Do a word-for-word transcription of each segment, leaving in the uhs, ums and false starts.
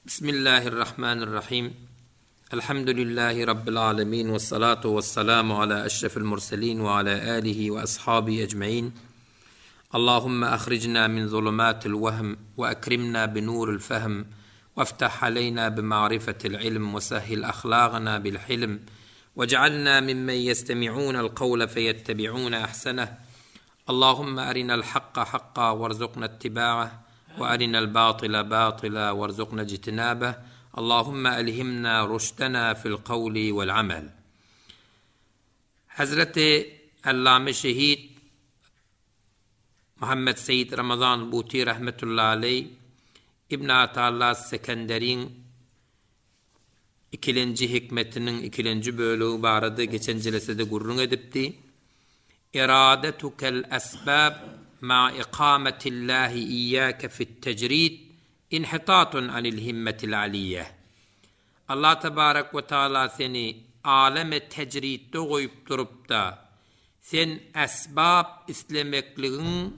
Bismillahirrahmanirrahim. Elhamdülillahi Rabbil alemin. Ve salatu ve selamu ala eşrefil murselin ve ala alihi ve ashabi ecmain. Allahümme ahricna min zulumatil vehm ve ekrimna bi nuril fehm. وافتح علينا بمعرفة العلم وسهل أخلاقنا بالحلم واجعلنا ممن يستمعون القول فيتبعون أحسنه اللهم أرنا الحق حقا وارزقنا اتباعه وأرنا الباطل باطلا وارزقنا اجتنابه اللهم ألهمنا رشدنا في القول والعمل Hazreti Allame Şehit Muhammed Seýit Ramazan Buty rahmetullahi aleý Ibn Atalla Sekenderiň ikilenji hikmetiniň ikilenji bölegi barada geçen jelesede gürrüň edipdi. Eradetukel esbab ma ikametillahi iyyake fit tecrid inhitatun anil himmetil aliyye. Allah tebarek we taala seni aleme tecridde goýup durup-da, sen esbap islemekligiň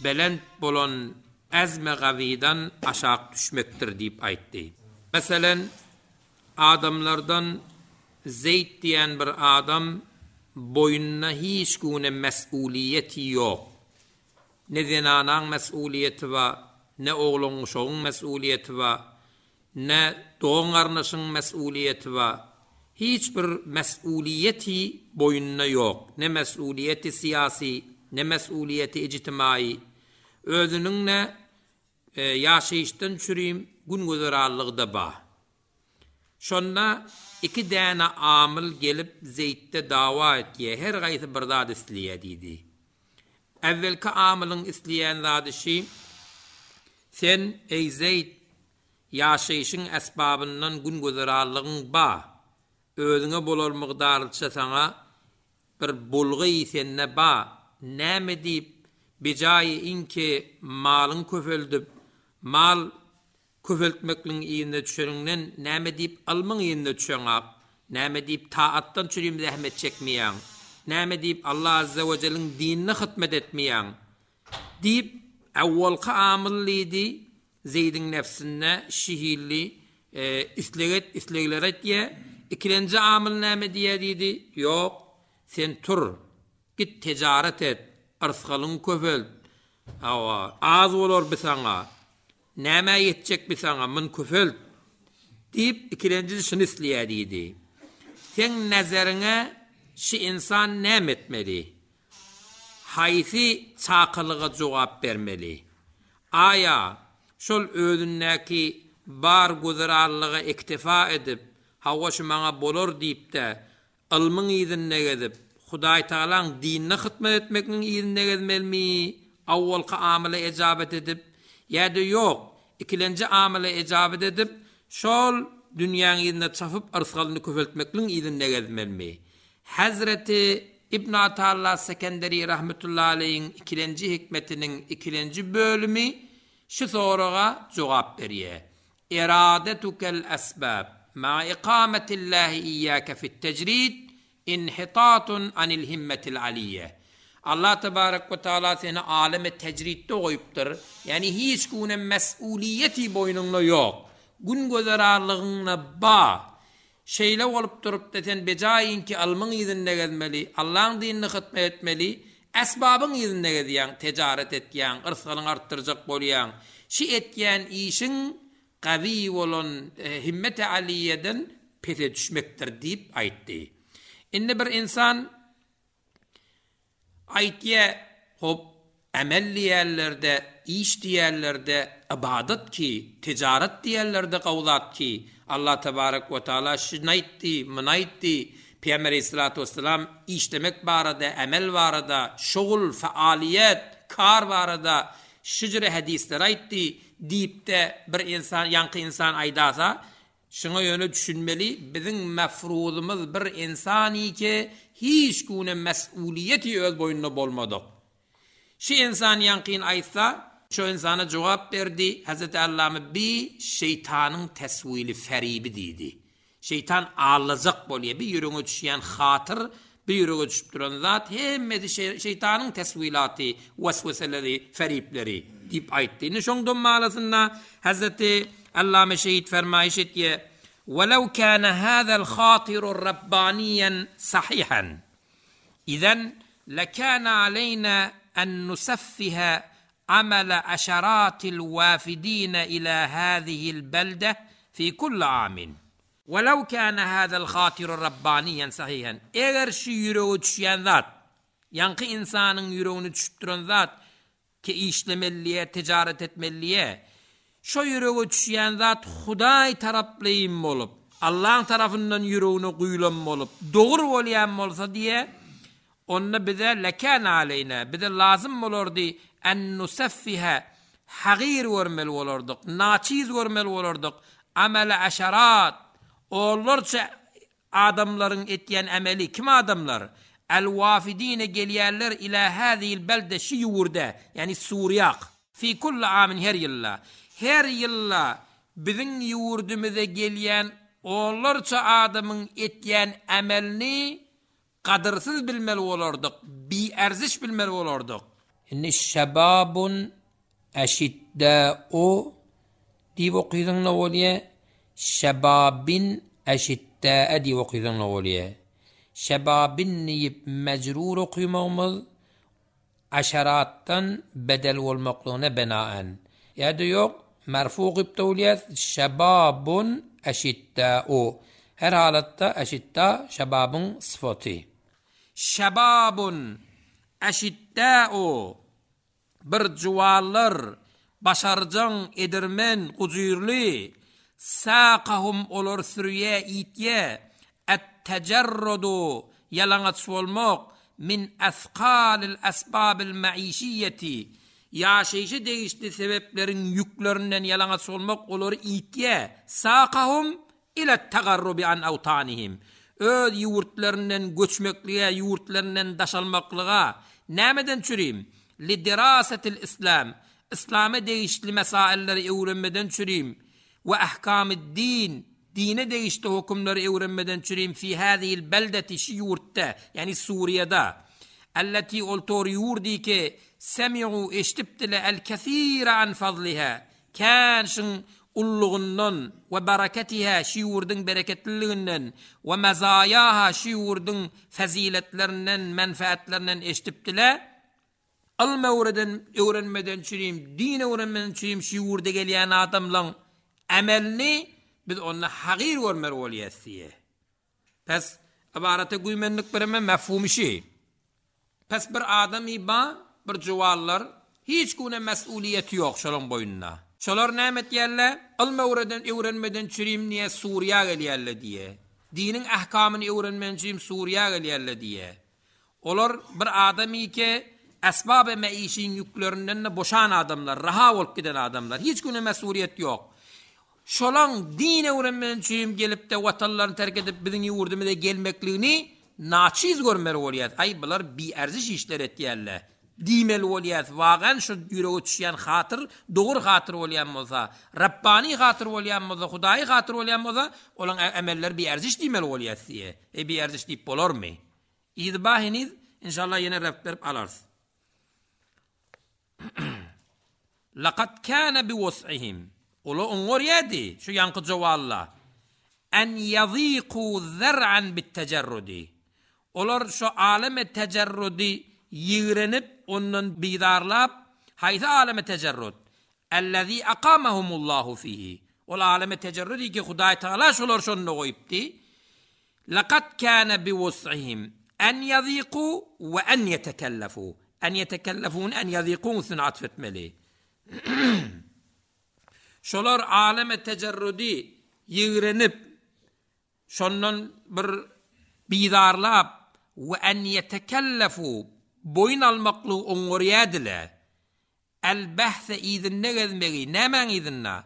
belent bolan azm-i gawydan aşak düşmekdir diýip aýtdy. Meselen, adamlardan Zeýd diýen bir adam boýnuna hiç güne mes'uliýeti ýok. Ne zenanaň mes'uliýeti bar, ne oglan-uşagyň mes'uliýeti bar, ne dogan-garyndaşyň mes'uliýeti bar. Hiç bir mes'uliýeti boýnunda ýok. Ne mes'uliýeti syýasy, ne mes'uliýeti ijtimaýy. Özüniň ne ýaşaýyşdan çürim gün-güzeranlygy-da bar. Şonda iki däne amyl gelip Zeýtde dawa etýär, her gaýsy bir zat isleýär diýdi. Äwwelki amylyň isleýän zady şi, Sen, eý Zeýt, ýaşaýşyň esbabyndan gün-güzeranlygyň bar, özüňe bolar mygdarlyça saňa bir bulgy sende bar, näme diýip, bijaýy iňki malyňy köpeldip, mal köpeltmekligiň yzyna düşeniňden näme diýip ylmyň yzyna düşeňak, näme diýip taatdan çürim zähmet çekmeýäň, näme diýip Allah Azze we Jelliň dinine hytmet etmeýäň? Diýip, awwalky amyl diýdi, Zeýdiň nebsinde şihilli isleg et, islegler etýär, ikilenji amyl näme diýýär diýdi, Ýok, sen tur, git tejaret et, yrsgalyňy köpelt, hawa, az bolar bi saňa, Nämä ýetjek bi saňa, myn köpelt! Diýip, ikilenjisi şuny isleýär diýdi. Seň nazeriňe şi ynsan näme etmeli? Haýsy çakylyga jogap bermeli? Aýa, şol özündäki bar güzeranlyga iktifa edip, hawa şu maňa bolar diýip-de, Ylmyň yzynda gezip, Hudaýtagalaň dinine hytmat etmekniň yzynda gezmelimi, awwalky amyla ejabet edip, ýa-da ýok, ikilenji amyla ejabet edip, şol dünýäň yzynda çapyp yrsgalyny köpeltmekligiň yzynda gezmelimi? Hezreti Ibn Atalla Sekenderi rahmetullahi aleýhiň ikilenji hikmetiniň ikilenji bölümi şu soraga jogap berýär. Eradetukel esbab ma ikametillahi iyyake fit tecrid inhitatun anil himmetil aliyye. Allah tebarek we taala seni aleme tecridde goýupdyr, ýagny hiç günem mes'uliýeti boýnuňda ýok, gün gözerarlygyňda ba. Şeýle bolup durupda sen bejaýynki ylmyň yzynda gezmeli, Allaň dinine hytmet etmeli, esbabyň yzynda gezýäň, tejaret etýäň, yrsgalyňy artdyrjak bolýaň. Şi etýän işiň gawy bolan himmeti alyýeden pese düşmekdir diýip aýtdy. Indi bir ynsan Aýtýa, hop, emel diýýärler-de, iş diýýärler-de, ybadat ki, tejarat diýýärler-de gowy zat ki, Allah tebarek we taala şuny aýtdy, muny aýtdy, Pygamber aleýhissalatu wessalam işlemek barada, emel barada, şugul, fealyýet, kar barada şu jüre hadyslar aýtdy diýip-de bir ynsan, ýaňky ynsan aýdasa, Şuňa ýöne düşünmeli, biziň mefruzymyz bir ynsanike hiç güne mes'uliýeti öz boýnuna bolmadyk. Şi ynsan ýaňkyn aýtsa, şo ynsana jogap berdi, Hezreti Allamy bi şeýtanyň teswili feribi diýdi. Şeýtan aldajak bolýa, bi ýüregiňe düşýän hatyr, bi ýürege düşüp duran zat hemmesi şeýtanyň teswilaty, wesweseleri, feripleri diýip aýtdy. Indi şoň dommalasynda Hezreti Allame şehit fermaýyş etýär, "Welew kana hazal hatiru rabbaniyan sahihan. Izen lekana aleyna en nusaffiha amala aşaratil wafidin ila hazihi'l belde fi kulli amin." Welew kana hazal hatiru rabbaniyan sahihan. Eger şu ýürege düşýän zat, ýaňky insanyň ýüregini düşüp zat ki işlemeliye, ticaret etmeliye, şu ýürege düşýän zat Hudaý taraplaýyn bolup, Allah'ın tarafından ýüregine guýulan bolup, dogry bolýan bolsa diýe, onda bize lekan aleyna, bize lazım bolardy en nusaffiha hagir görmeli bolardyk, naçiz görmeli bolardyk, amele aşarat, onlarça adamların etýän emeli, kim adamlar? El wafidine gelýärler ila hazihil belde şi ýurda, ýani Suriýak. Fi kulli amin her ýylla. Her ýylla biziň ýurdumyza gelýän onlarça adamyň etýän emelini gadyrsyz bilmeli bolardyk, bi erziş bilmeli bolardyk. Inni şebabun eşiddâ'u diýip okydyň ne bolýar? Şebabin eşiddâ'e diýip okydyň ne bolýar? Şebabin diýip mecrur okymagymyz aşaratdan bedel bolmaklygyna benaen. Ýa-da ýok, merfu okyp da bolýar. Şebabun eşiddâ'u. Her halatda eşidda şebabın sıfaty. Şebabun eşiddâ'u bir juwallar başarjaň edirmen gujurly saqahum olar sürüye itye et tecerrudu ýalaňaç bolmak min asqalil asbabil maişiyeti ýaşaýşy degişli sebepleriň ýüklerinden ýalaňaç bolmak olary itye saqahum ila tagarrubi an awtanihim öz ýurtlaryndan göçmeklige ýurtlaryndan daşalmaklyga nämeden çürim li dirasatil islam İslam'a degişli mesailleri öwrenmeden çürim we ahkamid din dine degişli hükümleri öwrenmeden çürim fi hazihil beldeti şi ýurtda ýani Suriýada allati oltor ýurdi ki semi'u eşitipdile el kesira an fadliha kan şın ulluğundan we bereketiha şi ýurduň bereketliliginden we mazayaha şi ýurduň faziletlerinden menfaatlerinden eşitipdile Ylm öwreden öwrenmeden çürim, din öwrenmeden çürim şi ýurda gelýän adamlaryň emelini biz onda hagir görmeli bolýas diýe. Pes ibarete güýmenlik bireme mefhum şi. Pes bir adam iba bir juwallar hiç güne mesuliyeti ýok şolaň boýnuna. Şolar näme etýärler? Ylm öwreden öwrenmeden çürim niýe Suriýa gelýärler diýe. Diniň ahkamyny öwrenmeden çürim Suriýa gelýärler diýe. Olar bir adamy ki esbab-ı meişin yüklerinden de boşan adamlar, raha bolup giden adamlar. Hiç güne mesuliyet ýok. Şolaň din öwrenmeden çürim gelip de watanlaryny terk edip biziň ýurdumyza gelmekligini naçiz görmeli bolýar. Ay bular bi erziş işler etýärler. Diýmeli bolýar. Wagan şu ýürege düşýän hatyr, dogry hatyr bolýan bolsa, Rabbani hatyr bolýan bolsa, Hudaýy hatyr bolýan bolsa, olaň emeller bi erziş diýmeli bolýar diýe. E bi erziş diýip bolarmy? Idba heniz inşallah ýene rep berip alarys. Laqad kana bi wus'ihim. Ola oňor ýedi şu ýanky jowalla. En yaziqu zar'an bit tecerrudi. Olar şu aleme tecerrudi ýigrenip ondan bidarlap haýsy aleme tecerrud? Allazi aqamahumullahu fihi. Ol aleme tecerrudi ki Hudaý Taala şolar şonda goýupdy. Laqad kana bi wus'ihim en yaziqu we en yetekellefu. En yetekellefun en yaziqun üstüne atfetmeli. Şolar aleme tecerrudi ýigrenip şondan bir bidarlap we en yetekellefu boýun almaklygy oňorýadylar. El bahse izinne gezmegi nämäň izinna?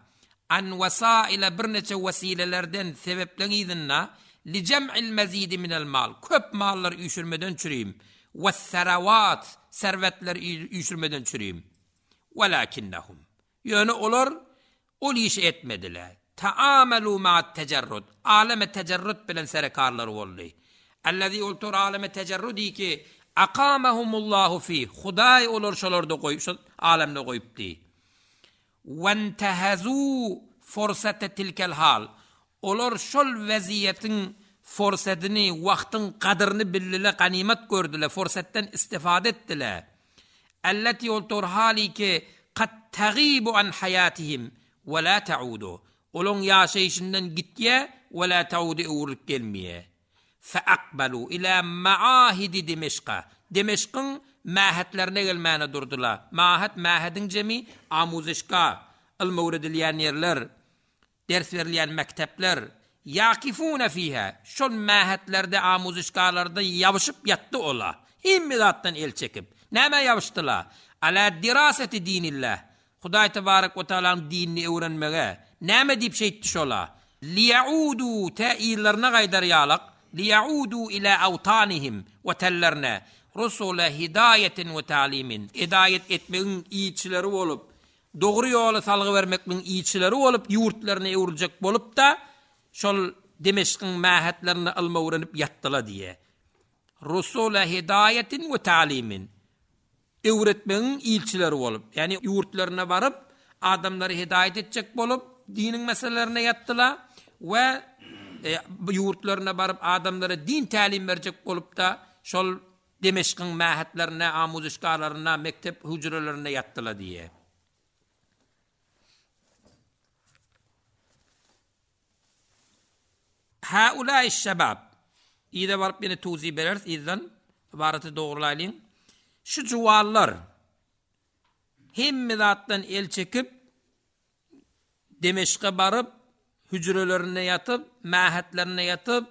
An wasaila birneçe wesilelerden sebepleň izinna li cem'il mezidi minel mal. Köp mallar üýşürmeden çürüm. We seravat servetler üýşürmeden çürüm. Welakinnahum. Ýöne olar ol iş etmediler. Taamalu ma'at tecerrud. Aleme tecerrud bilen serekarlar boldy. Allazi ultur aleme tecerrudi ki aqamahumullahu fi. Hudaý olar şolarda goýup, şol alemde goýupdy. Wentehazu Forsate tilkel hal. Olar şol weziýetiň forsadyny, wagtyň gadyryny bildile, ganymat gördüler, forsatdan istifade etdiler. Elleti ol tor hali ki kad tagibu an hayatihim we la ta'udu. Olaň ýaşaýşyndan gitýä we la ta'udu öwrülip gelmeýä. Fe akbalu ila maahidi Dimeşka. Dimeşkyň mähetlerine gelmäne durdular. Mahet, mähediň jemi amuzişka, ylm öwredilýän ýerler, ders berilýän mektepler. Ýakifuna fiha. Şol mähetlerde, amuzişkalarda ýabyşyp ýatdy ola. Hemme zatdan el çekip. Näme ýabyşdylar? Ala diraseti dinillah. Hudaý tebarek we taalaň dinini öwrenmege. Näme diýip şeýtdi şola? Liýaudu ta illerine gaýdar ýalak, liýaudu ila awtanihim we tellerine rusula hidayetin we ta'limin. Hidaýet etmegiň ilçileri bolup, dogry ýoly salgy bermekniň ilçileri bolup, ýurtlaryny öwrüljek bolup da şol Dimeşkiň mähetlerine ylma öwrenip ýatdylar diýe. Rusula hidayetin we ta'limin. Öwretmegiň ilçileri bolup, ýani ýurtlaryna baryp, adamlary hidaýet etjek bolup, diniň meselelerine ýatdylar we e, ýurtlaryna baryp adamlara din tälim berjek bolup da şol Dimeşkiň mähetlerine, amuzişkalaryna, mektep hüjrelerine ýatdylar diýe. Haulâi şebab. Ýa baryp ýene tuzi bereris, ýa ibaraty dogrulaylyň. Şu juwallar hemme zatdan el çekip Demeşke baryp hüjrelerine ýatyp, mähetlerine ýatyp,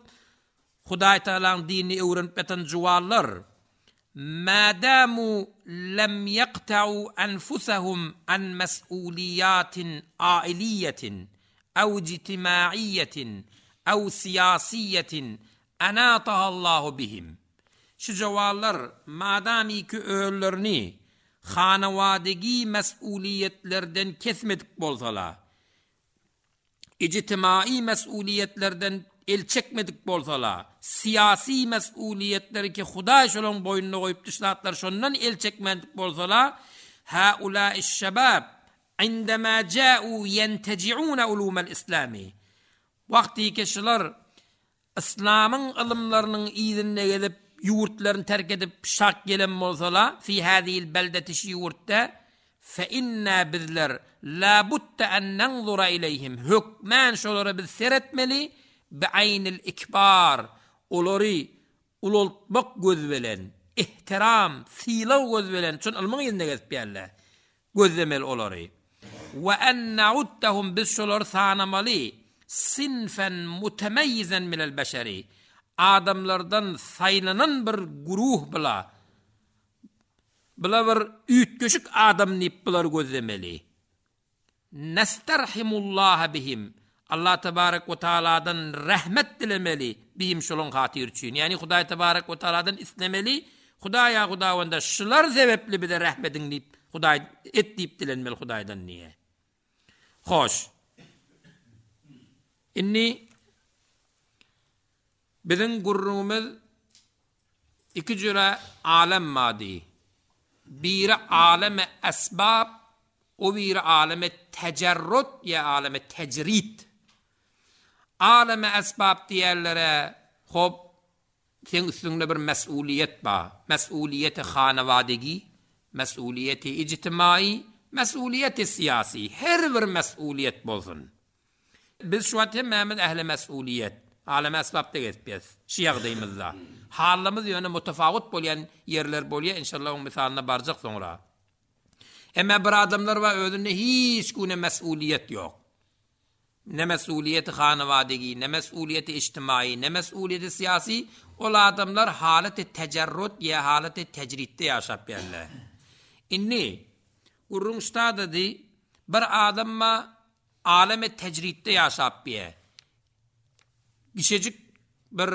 Hudaý Taalaň dinini öwrenip ýatan juwallar madamu lem yaqta'u anfusahum an mas'uliyatin ailiyetin aw ijtimaiyetin aw siyasiyetin anataha Allahu bihim. Şu juwallar madami ki öýlerini hanawadigi mas'uliyetlerden kesmedik bolsala, ijtimai mas'uliyetlerden el çekmedik bolsala, siyasi mas'uliyetleri ki Hudaý şolaň boýnuna goýup düşlatlar şondan el çekmedik bolsala, haulâiş şebab indema ja'u yenteci'un ulumel islami. Wagty ki şular İslamyň ylymlarynyň ýerine gelip ýurtlaryny terk edip şak gelen bolsala, fi hadhihi beldeti şu ýurtda fe inna bizler la budda en nanzura ileyhim. Hökmän şolara biz seretmeli bi aynil ikbar. Olary ulultmak göz bilen, ihtiram, sylaw göz bilen, çün ylmyň ýerine gezip ýerler. Gözlemeli olary. We en na'uddahum biz şolary sanamaly sinfen mutemeyyizen minel beşeri. Adamlardan saylanan bir guruh bila. Bila bir üýtgeşik adam diýip bular gözlemeli. Nesterhimullaha bihim. Allah tebarek we taaladan rahmet dilemeli bihim şolun hatyr üçin. Ýani Hudaý tebarek we taaladan islemeli. Hudaýa Hudawanda şular sebepli bize rahmetiň diýip Hudaý et diýip dilenmeli Hudaýdan niýe. Hoş. Inni biziň gurrumyz iki jüre alem madi. Biri aleme esbab, o biri aleme tecerrut ya aleme tecrit. Aleme esbab diýerlere hop sen üstüňde bir mesuliyet ba. Mesuliyeti hanavadigi, mesuliyeti ictimai, mesuliyeti siyasi. Her bir mesuliyet bolsun. Biz şu an hemmämiz ähli mesuliyet. Aleme esbabda gezip Şu ýagdaýymyzda. Halymyz ýöne mutafawut bolýan ýerler bolýar. Inşallah oň misalyna barjak soňra. Emma bir adamlar bar özünde hiç güne mesuliyet ýok. Ne mesuliyeti hanavadigi, ne mesuliyeti ictimai, ne mesuliyeti siyasi. Ol adamlar haleti tecerrut ya haleti tecritde ýaşap ýerler. Inni gurrun ştada di bir adam ma aleme tecritde ýaşap ýer. Gişecik bir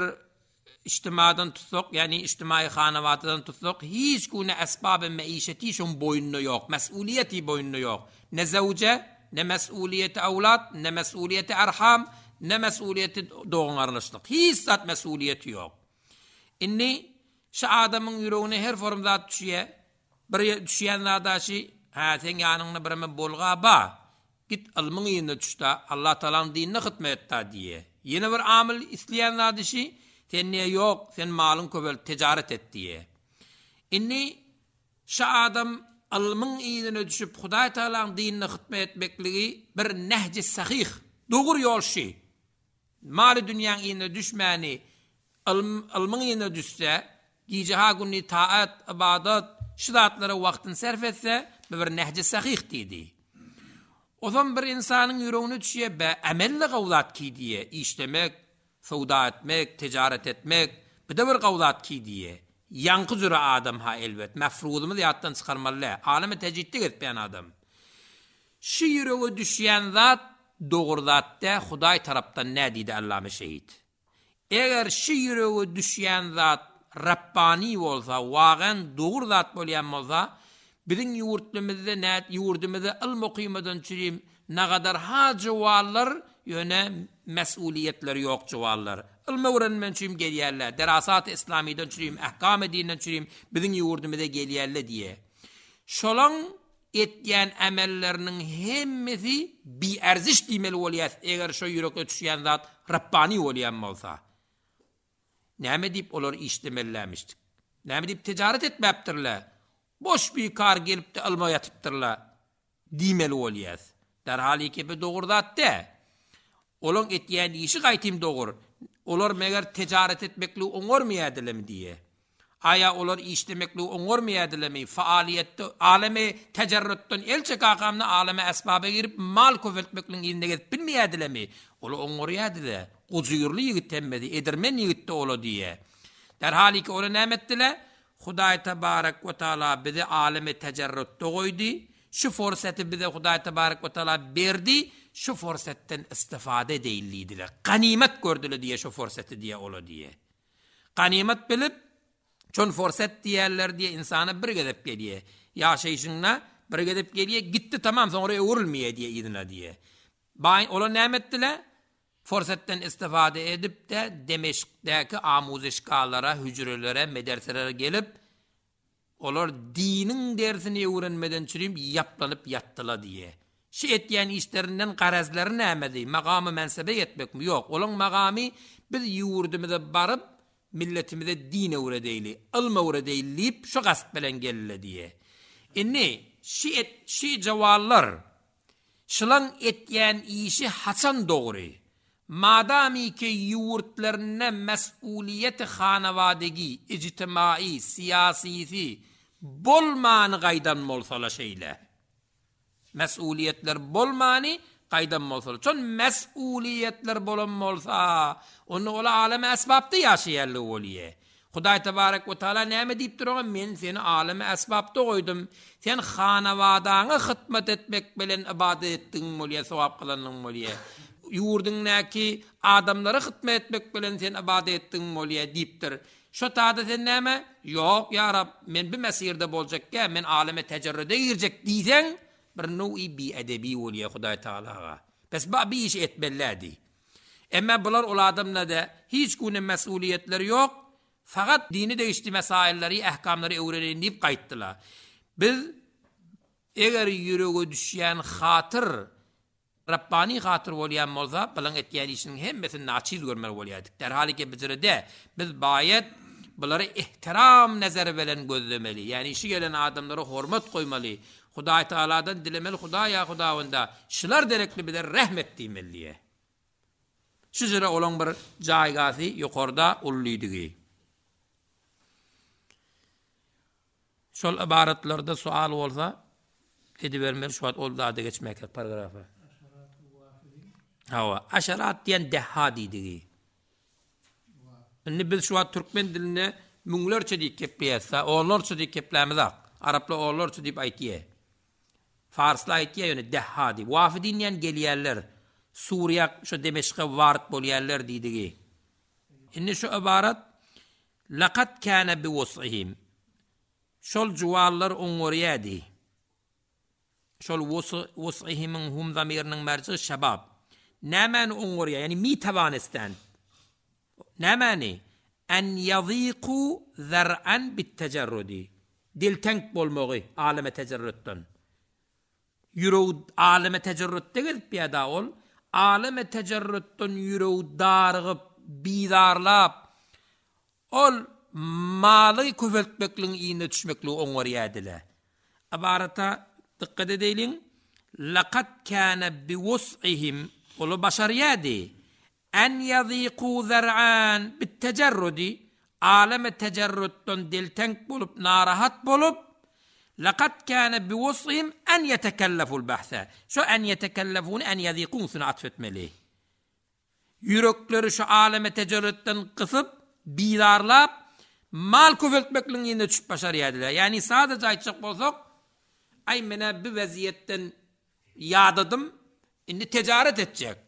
içtimadan tutsak, yani içtimai hanavatıdan tutsak, hiç güne esbab-ı meişeti şun boýnunda ýok, mesuliyeti boýnunda ýok. Ne zewce, ne mesuliyeti awlat, ne mesuliyeti erham, ne mesuliyeti doğun arlaşlyk. Hiç zat mesuliyeti ýok. Inni şu adamyň ýüregine her form zat düşýär. Bir düşýän zadaşy, ha sen ýanyňda birme bolga ba. Git ylmyň yzyna düş-de, Allah Tagalaň dinine hytmat et-da diýýär. Ýene bir amyl isleýän zady şi, sen diýýär, ýok, sen malyň köpelt, tejaret et diýýär. Indi şi adam ylmyň yzyna düşüp, Hudaý Tagalaň dinine hytmat etmekligi bir nehji sahyh, dogry ýol şi. Maly dünýäň yzyna düşmäni, ylm, ylmyň yzyna düşse, gije-ha gündiz taat, ybadat, şu zatlara wagtyny sarf etse, bu bir nehji sahyh diýdi. Ozam bir insanyň ýüregine düşýär, be, emelle gawzat ki diýe, işlemek, söwda etmek, ticaret etmek, bir de bir gawzat ki diýe. Ýaňky jüre adam ha elbet, mefruzymyz ýatdan çykarmaly däl. Aleme tejridde gezipýän adam. Şu ýürege düşýän zat dogry zat dä, Hudaý tarapdan nä diýdi Allame şehit. Eger şu ýürege düşýän zat Rabbani bolsa, wagan dogry zat bolýan bolsa, biziň ýurtlarymyzda nä ýurdumyzda ylm okymadan çürim nagadar ha jowallar ýöne mesuliýetleri ýok jowallar. Ylm öwrenmen üçin gelýärler. Derasat islamiden çürim, ahkam dinden çürim biziň ýurdumyza gelýärler diýe. Şolaň etýän amelleriniň hemmesi bi erziş diýmeli bolýar. Eger şo ýürekde düşýän zat Rabbani bolýan bolsa. Näme diýip olar işlemellämişdik? Näme diýip ticaret etmäpdirler? Boş bir kar gelip de ylma ýatypdyrlar diýmeli bolýar. Derhal iki dogry zat de. Olaň etýän işi gaýtym dogry. Olar meger ticaret etmekli oňormaýardylarmy diýe. Aya olar işlemekli oňormaýardylarmy? Faaliyetde aleme tecerrütden el çekakamna aleme esbaba girip mal köpeltmekliň ýerine gezip bilmeýärdilermi? Olar oňorýardylar. Gujurly ýigit hemmesi, edermen ýigit de ola diýe. Derhal iki ola näme etdiler? Hudaý tebarek we taala bizi aleme tecerrütde goýdy. Şu fursaty bize Hudaý tebarek we taala berdi. Şu fursatdan istifade edeýlidiler. Ganimet gördüler diýe şu fursaty diýe ola diýe. Ganimet bilip çon fursat diýerler diýe insana bir gezep gelýär. Ýaşaýşyňna bir gezep gelýär, gitdi tamam soňra öwrülmeýär diýe yzyna diýe. Baý ola näme etdiler? Fursatdan istifade edip de Demeşkdäki amuzişkalara, hücrelere, medreselere gelip olar diniň dersini öwrenmeden çürim ýaplanyp ýatdylar diýe. Şu etýän işlerinden garazlary nämedi? Magamy mensebe ýetmekmi? Ýok. Olaň magamy biz ýurdumyza baryp milletimize din öwredeýli, ylm öwredeýli diýip şu gasp bilen geldi diýe. Inni şu et şu jawallar şylan etýän işi haçan dogry? Madami ki ýurtlarynda mesuliýeti hanawadegi, ijtimai, siýasisi bolmany gaýdan bolsala şeýle. Mesuliýetler bolmany gaýdan bolsala. Çon mesuliýetler bolan bolsa, onu ola aleme esbapda ýaşaýarly bolýar. Hudaý tebarek we taala näme diýip duran? Men seni aleme esbapda goýdum. Sen hanawadaňa hytmat etmek bilen ibadet etdiň bolýar, sogap kylanyň bolýar. Ýurduňdaky adamlara hytmat etmek bilen sen ibadet etdiň bolýar diýipdir. Şo tada sen näme? Ýok ýa Rab, men bir mesirde boljakka, men aleme tecerrüde girjek diýseň, bir now'i bi edebi bolýar Hudaý taalaga. Bes ba bir iş etmellädi. Emma bular ol adamlarda da hiç güne mesuliýetleri ýok. Fakat dini değişti mesailleri, ehkamları öwreneýin diýip gaýtdylar. Biz eger ýürege düşýän hatyr Rabbani hatyr bolýan bolsa, bilen etýän işiniň hemmesini naçiz görmeli bolýardyk. Derhal ki bizrede biz baýet bulary ihtiram nazary bilen gözlemeli. Ýani işi gelen adamlara hormat goýmaly. Hudaý Taaladan dilemeli, Hudaýa Hudawanda şular derekli bize rahmet diýmeli. Şu jere olan bir jaýgasy ýokarda ullydigi. Şol ibaratlarda sual bolsa edibermeli şu wagt ol zada geçmek paragrafa. Hawa, aşarat diýen deha diýdigi. Indi biz şu wagt türkmen dilinde müňlerçe diýip kepleýäs, onlarça diýip keplämiz ak. Araplar onlarça diýip aýtýar. Farslar aýtýar ýöne deha diýip. Wafidin diýen gelýärler. Suriýa şu Demeşke warit bolýarlar diýdigi. Indi şu ibarat laqad kana bi wus'ihim. Şol juwallar oňorýady. Şol wus'ihimiň hum zamiriniň merji şabab. Nämäni oňorýar? Ýani mi tabanistan. Nämäni? En yaziku zar'an bit-tecerrudi. Diltenk bolmagy aleme tecerrütden. Ýüregi aleme tecerrütde gezip ýa-da ol aleme tecerrütden ýüregi darygyp, bizarlap, ol maly köpeltmekligiň yzyna düşmekligi oňarýardylar. Ybarata dykgat edeýliň, Laqad kana biwus'ihim ola başarýardy. En yaziku zar'an bit-tecerrudi aleme tecerrütden deltenk bolup, narahat bolup, laqad kana biwus'ihim en yetekelleful bahsa. Şu en yetekellefun en yazikun üstüne atf etmeli. Ýürekleri şu aleme tecerrütden gysyp, bizarlap, mal köpeltmekligiň ýerine düşüp başarýardylar. Ýagny sadece aýtjak bolsak, aý menä bu weziýetden ýadadym, indi ticaret etjek.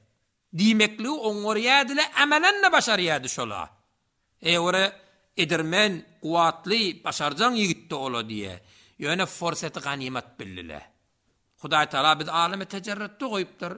Diýmekligi oňarýardylar, amelen de başarýardy şola. E ora edermen, kuwatly, başarjaň ýigitdi ola diýe. Ýöne forseti ganimet bildiler. Hudaý Taala biz aleme tecerrütde goýupdyr.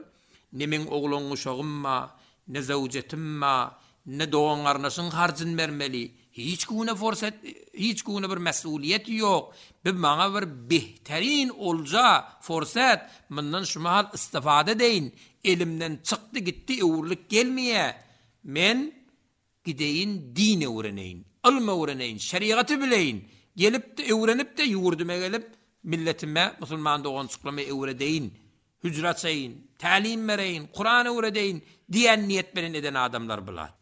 Ne meň ogluň uşagym ba, ne zewjetim ba, ne dogan garyndaşyň harjyn bermeli. Hiç güne forset, hiç güne bir mesuliyet ýok. Bir maňa bir behterin olja forset, mundan şu mahal istifade edeýin. Elimden çykdy gitdi, öwrülip gelmeýe. Men gideýin din öwreneýin, ylm öwreneýin, şeriaty bileýin. Gelip de öwrenip de ýurdume gelip milletime musulman dogançyklama öwredeýin, hücre açaýyn, tälim bereýin, Kur'an öwredeýin diýen niýet bilen eden adamlar bular.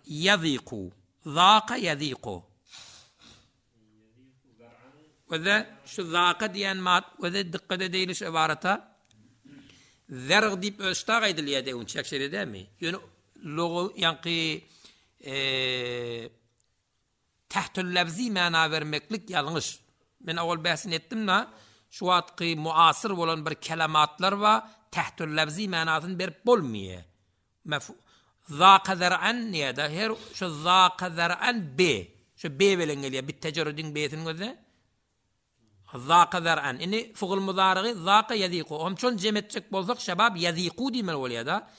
Yaziku, zaka yaziku. Ve de şu zaka diýen mat, ve de dikkat edeýli şu ibarata. Zerg diýip özştag aýdylýar deýin çekşeri dämi? Ýöne logo ýaňky eee tahtül lafzi mana bermeklik ýalňyş. Men awal bäsini etdim na, şu wagtky muasyr bolan bir kelimatlar wa tahtül lafzi manasyny berip bolmaýar. Zaka zer'an niýe-de her şu zaka zer'an b. Şu b bilen gelýär. Bit tecerrüdin b'sini gözle. Zaka zer'an. Indi fugul muzarigy zaka yaziku. Hem şon jem etjek bolsak şebab yaziku diýmeli bolýar da.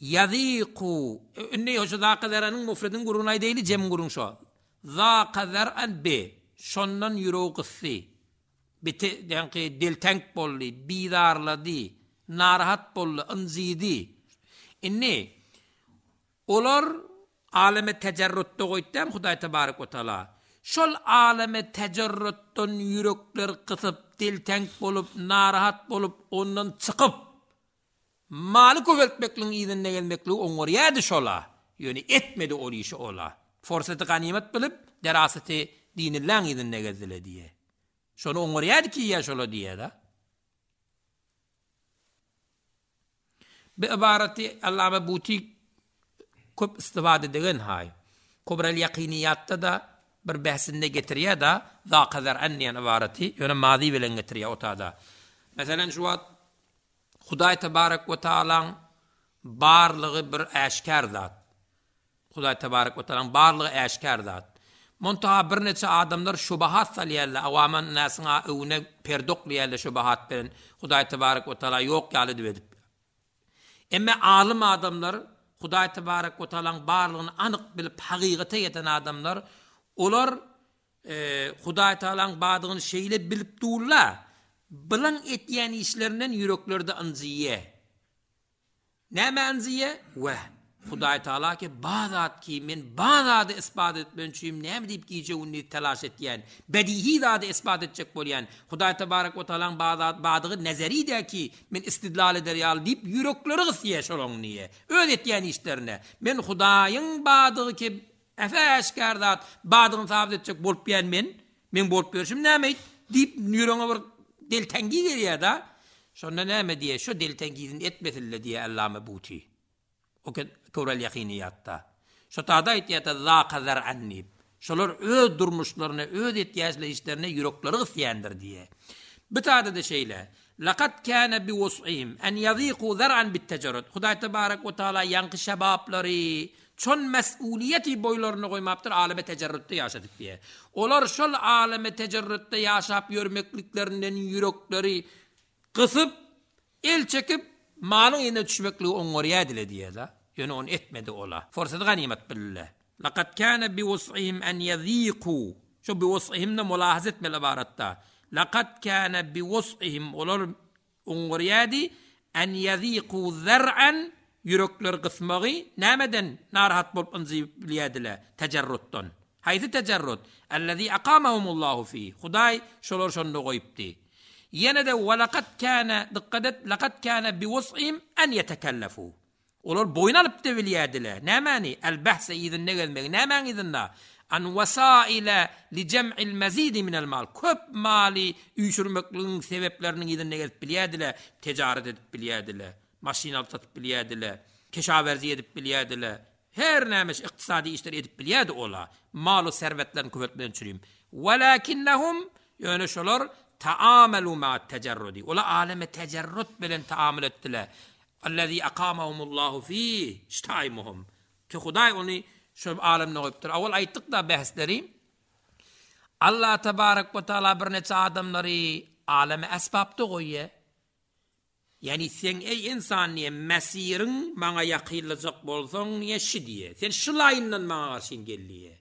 Yaziku. Indi şu zaka zer'anyň mufredin gurun aýdaýly jem gurun şo. Zaka zer'an b. Şondan ýüregi gysdy. Bite ýaňky deltenk boldy, bizarlady, narahat boldy, ynjydy. Indi olar aleme tecerrütde goýdy Hudaý tebarek we taala. Şol aleme tecerrütden ýürekler gysyp, deltenk bolup, narahat bolup, ondan çykyp maly köpeltmekligiň yzyna gelmekligi oňarýardy şola. Ýöne etmedi ol işi ola. Forseti ganimet bilip, deraseti dinilläň yzyna gezdile diýe. Şonu oňarýardy ki ýa şola diýe da. Bi ibareti Allame Buti köp istifade degen hay. Kubral yakiniyatta da bir behsinde getirýär da zaka zer'an diýen ibareti ýöne mazi bilen getirýär otada. Meselen şu wagt Hudaý tebarek we taalaň barlygy bir äşgär zat. Hudaý tebarek we taalaň barlygy äşgär zat. Montaha bir neçe adamlar şubahat salýarlar, awaman nasyňa öwüne perdoklaýarlar şubahat bilen. Hudaý tebarek we taala ýok ýaly diýip edip. Emme alym adamlar Hudaý tebarek we taalaň barlygyny anyk bilip hakykata ýeten adamlar, olar e, Hudaý taalaň bardygyny şeýle bilip durlar. Bilen etýän işlerinden ýüreklerde ynjyýe. Näme ynjyýe? We Hudaý taala ki bazat ki men bazady isbat etmen üçin näme diýip gije gündiz telaş etýän, bedihi zady isbat etjek bolýan. Hudaý tebarek we taalaň bazat badygy nezeri de ki men istidlal eder ýaly diýip ýürekleri gysýa şolaň niýe. Öz etýän işlerine men Hudaýyň badygy ki efe äşgär zat badygyny sabit etjek bolup ýan men, men bolup görşüm näme diýip ýüregiňe bir deltengi gelýär da. Şonda näme diýe? Şu deltengizini etmesille diýe Allame Buti. O kewrel yakiniyatta. Şu tada aýtýar zaka zer'an diýip. Şolar öz durmuşlaryna, öz etýäçli işlerine ýürekleri gysýandyr diýe. Bu tada da şeýle. Laqad kana biwus'ihim en yaziqu zar'an bit-tecerrud. Hudaý tebarek we taala ýaňky şebaplary çon mesuliyeti boýlaryny goýmapdyr aleme tecerrütde ýaşadyk diýe. Olar şol aleme tecerrütde ýaşap ýörmekliklerinden ýürekleri gysyp, el çekip malyň ýerine düşmekligi oňarýar diýe da. Ýöne onu etmedi ola. Forsat ganimet bille. Laqad kana biwus'ihim en yaziqu. Şu biwus'ihimne mulahaza etmeli ibaratda. Laqad kana bi wus'ihim olar oňarýardy en yaziqu zar'an ýürekler gysmagy nämeden narahat bolup ynjyp bilýärdiler tecerrutdan. Haýsy tecerrut? Allazi aqamahumullahu fi. Hudaý şolar şonda goýupdy. Ýene de walaqad kana dikkat et laqad kana bi wus'ihim en yetekallafu. Olar boýun alyp da bilýärdiler. Nämäni? El bahse yzynda gezmegi. Nämäň yzynda? An wasaila li cem'il mazid min el mal. Köp mali üýşürmekligiň sebepleriniň yzynda gezip bilýärdiler. Ticaret edip bilýärdiler. Maşyn alyp satyp bilýärdiler. Keşawerzi edip bilýärdiler. Her näme ykdysady işler edip bilýärdi ola. Malu serwetlerini köpeltmeden çürüm. Walakinnahum ýöne şolar taamalu ma tecerrudi. Ola aleme tecerrud bilen taamul etdiler. Allazi aqamahumullahu fi ştaýmuhum. Ki Hudaý ony şu alemde goýupdyr. Awal aýtdyk da bahsleri. Allah tebarek we taala birnäçe adamlary aleme esbapda goýýar. Yani sen ey insan niye mesirin maňa ýakynlajak bolsaň niye şi diýe. Sen şu laýyndan maňa garşyn gel diýe.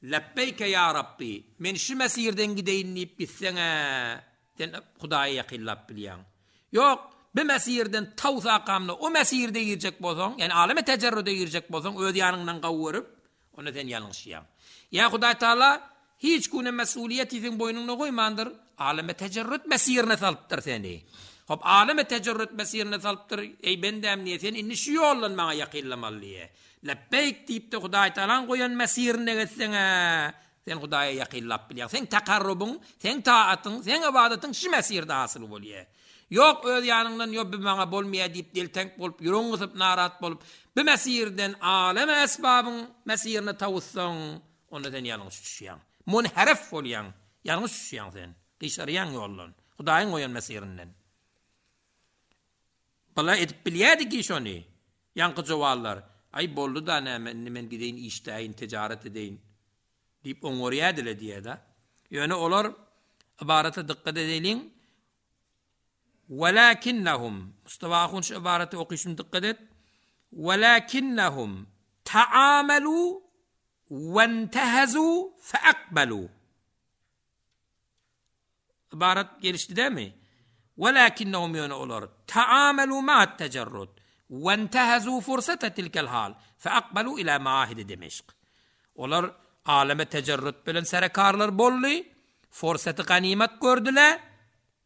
Lebbeyke ya Rabbi, men şu mesirden gideýin diýip gitseň sen Hudaýa ýakynlap bilýäň. Ýok, bu mesirden tawsakamda o mesirde girjek bolsaň, ýani aleme tecerrüde girjek bolsaň, öz ýanyňdan gawuryp, onda sen ýalňyşýaň. Ýa Hudaý Taala hiç güne mesuliýeti sen boýnuňa goýmandyr, aleme tecerrüt mesirine salypdyr seni. Hop aleme tecerrüt mesirine salypdyr, ey bendem niye sen indi şu ýoldan maňa ýakynlamaly diýe. Lebbeyk diýip de Hudaý Taalan goýan mesirine gitseň, sen Hudaýa ýakynlap bilýäň. Sen takarrubyň, sen taatyň, sen ibadatyň şu mesirde hasyl bolýar. Ýok öz ýanyňdan ýok bir maňa bolmaýar diýip deltenk bolup, ýüregiň gysyp narat bolup, bu mesirden aleme esbabyň mesirine tawussaň, onda sen ýalňyş düşýäň. Munharif bolýaň, ýalňyş düşýäň sen. Gyşarýaň ýoldan. Hudaýyň goýan mesirinden. Bala edip bilýärdi ki şony. Ýaňky jowallar. Ay boldy da näme indi men gideýin işläýin, ticaret edeýin diýip oňorýardylar diýýär. Ýöne olar ibarata dikkat edeliň. Walakinnahum Mustafa ahun şu ibareti okuyşum dikkat et. Walakinnahum taamalu wentehazu feakbalu. Ibaret gelişdi değil mi? Walakinnahum ýöne olar taamalu ma'at tecerrud wentehazu fursata tilkel hal feakbalu ila maahid Demeşk. Olar aleme tecerrüt bilen serekarlar boldy, fursaty ganimet gördüler,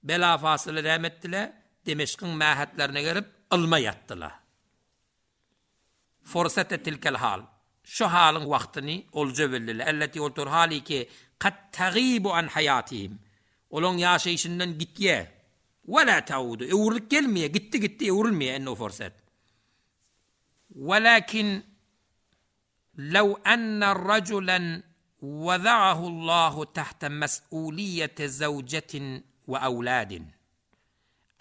bela fasyly näme etdiler? Demeşkiň mähetlerine gelip ylma ýatdylar. Fursata tilkel hal. Şu halyň wagtyny olja bildiler. Elleti oltur hali ki qad tagibu an hayatihim. Olaň ýaşaýşyndan gitýä. Wala taudu. Öwrülip gelmeýär, gitti gitti öwrülmeýär enne o fursat. Walakin لو أن رجلا وضعه الله تحت مسؤولية زوجة وأولاد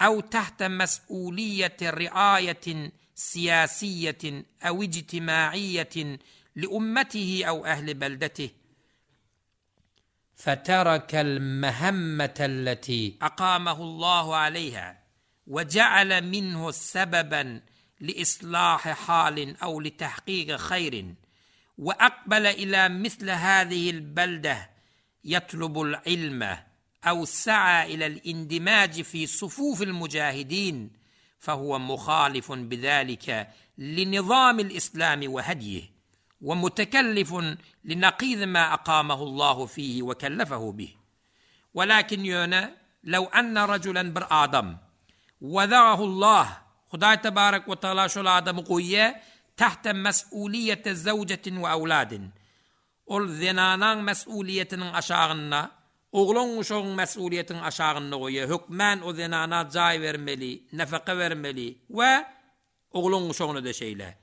أو تحت مسؤولية رعاية سياسية أو اجتماعية لأمته أو أهل بلدته فترك المهمة التي أقامه الله عليها وجعل منه سببا لإصلاح حال أو لتحقيق خير وأقبل إلى مثل هذه البلدة يطلب العلم أو سعى إلى الاندماج في صفوف المجاهدين فهو مخالف بذلك لنظام الإسلام وهديه ومتكلف لنقيض ما أقامه الله فيه وكلفه به. ولكن ýöne لو أن رجلا bir adam وضعه الله Hudaý tebarek we taala şol adamy goýýar تحت مسؤولية زوجة وأولاد. Ol zenanaň mesuliýetiniň aşagynda, oglan uşagyň mesuliýetiniň aşagynda goýýar. Hökmän o zenana jaý bermeli, nafaka bermeli we oglan uşagyna da şeýle.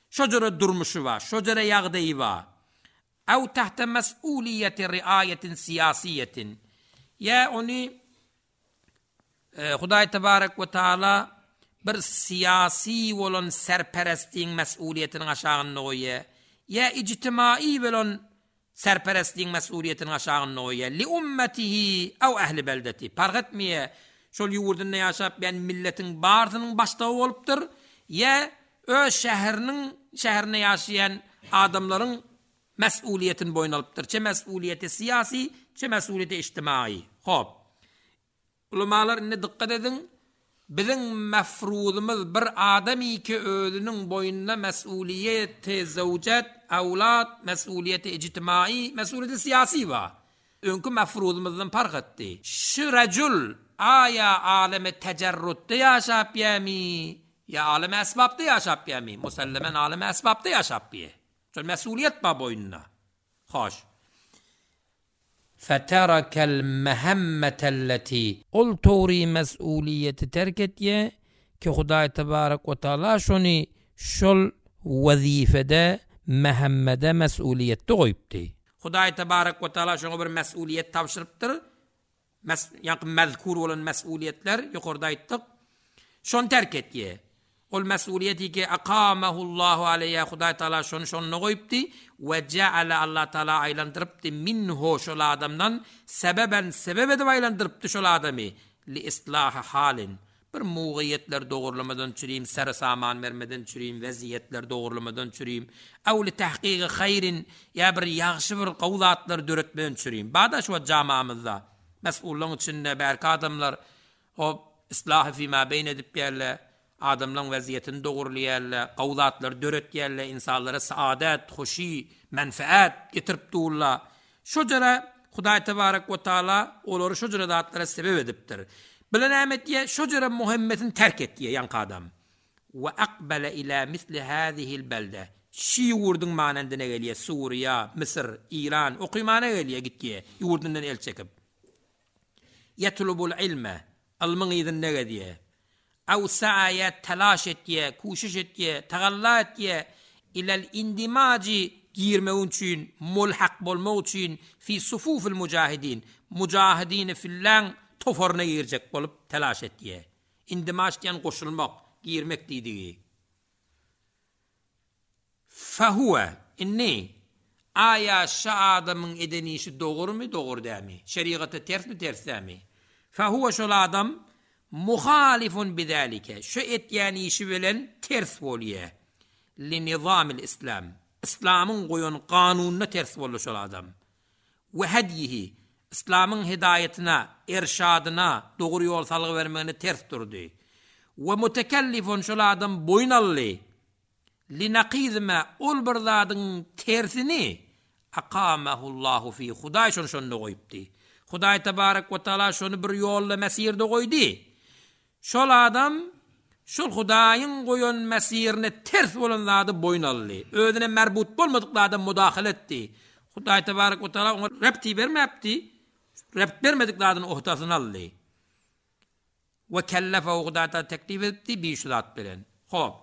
Şo durmuşy bar, şo jere ýagdaýy bar. Aw tahta mas'uliýeti riaýetin siýasiýetin. Ýa ony e, Hudaý tebarek we taala bir siýasi bolan serperestligiň mesuliýetiniň aşagynda goýýar. Ýa ijtimai bolan serperestligiň mesuliýetiniň aşagynda goýýar. Li ummatihi aw ahli beldeti. Park etmeýär. Şol ýurdunda ýaşap ben milletin barsynyň başdagy bolupdyr. Ýa öz şäheriniň şäherine ýaşaýan adamlaryň mesuliýetini boýun alypdyr. Çe mesuliýeti siýasi, çe mesuliýeti ijtimai. Hop. Ulamalar indi dikkat ediň. Biziň mefruzymyz bir adamy ki özüniň boýnuna mesuliýeti zewjet, awlad, mesuliýeti ijtimai, mesuliýeti syýasy bar. Öňki mefruzymyzdan parh etdi. Şu rejul aýa alemi tecerrutda ýaşap ýami, ýa alemi esbapda ýaşap ýami? Musallemen alemi esbapda ýaşap ýe. Şol mesuliýet bar boýnuna. Hoş. فَتَرَكَ الْمَهَمَّةَ الَّتِي Ol towry mesuliýeti terk etýe ki Hudaý tebarek we taala şony şol wezifede mehemmede mesuliýetde goýupdy. Hudaý tebarek we taala şoňa bir mesuliýet tabşyrypdyr. Mes ýa mezkur bolan mesuliýetler ýokarda aýtdyk. Şon terk etýe. Ol mesuliýeti ki akamahullahu aleyha Hudaý taala şonu şonuna goýupdy we ceale Allah taala aýlandyrypdy minhu şol adamdan sebeben sebep edip aýlandyrypdy şol adamy li islaha halin. Bir mugiýetler dogurlamadan çüriyim, ser saman bermeden çüriyim, weziyetler dogurlamadan çüriyim, ew li tahqiqi hayrin ýa bir ýagşy bir gowzatlar döretmeden çüriyim. Bada şu jamamyzda mesullaryň içinde berk adamlar o islahy fima beyn edip ýerle, adamlaryň weziyetini dogurlaýarlar, gowzatlar döretýärler, insanlara saadet, hoşi, menfaat getirip durlar. Şu jere Hudaý tebarek we taala olary şu jere zatlara sebep edipdir. Bilen näme şu jere Muhammedin terk etdi ýanky adam. We aqbala ila misli hazihi al-balda. Şi ýurdun manendine gelýär, Suriýa, Mısır, İran, okymana gelýär gitýär, ýurdundan el çekip. Yetlubul ilme, ilmin ýüzünde gelýär. Ew sa'ya telaş etýär, kuşuş etýär, tagalla etýär ilal indimaji girmek üçin, mulhak bolmak üçin fi sufufil mujahidin, mujahidin fillan tofaryna girjek bolup telaş etýär. Indimaş diýen goşulmak, girmek diýdigi. Fahuwa inni aya şu adamyň eden işi dogrumy, dogry dämi? Şeriata tersmi, ters dämi? Fahuwa şol adam muhalifun bidalike. Şu etýän işi bilen ters bolýar. Li nizamil islam. İslamyň goýan kanunyna ters boldy şol adam. We hedihi İslamyň hidaýetine, irşadyna, dogry ýol salgy bermegine ters durdy. We mutekellifun şol adam boýun aldy. Li naqizma ol bir zadyň tersini aqamahullahu fi Hudaý şonu şonda goýupdy. Hudaý tebarek we taala şonu bir ýolda mesirde goýdy. Şol adam şol Hudaýyň goýan mesirine ters bolan zady boýun aldy. Özüne merbut bolmadyk adam müdahale etdi. Hudaý tebarek we taala oňa repti bermäpdi. Rept bermedik zadyny ohtasyny aldy. We kellefe Hudaý taala teklif etdi bir şu zat bilen. Hop.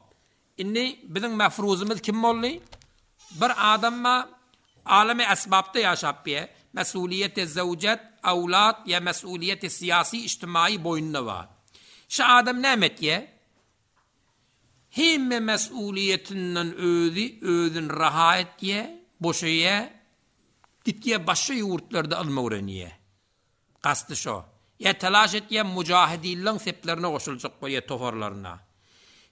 Inni biziň mefruzymyz kim boldy? Bir adamma alemi esbapda ýaşap biýe, mesuliýeti zewjet, awlad ýa mesuliýeti syýasy ijtimai boýnuna bar. Şu adam näme etýä? Hemme mesuliýetinden özi özün raha etýä, boşaýa, gitýä başga ýurtlarda ylmy öwrenýä. Gasty şo. Ýa telaş etýä mujahidinleň seplerine goşuljak bolýa tofarlaryna.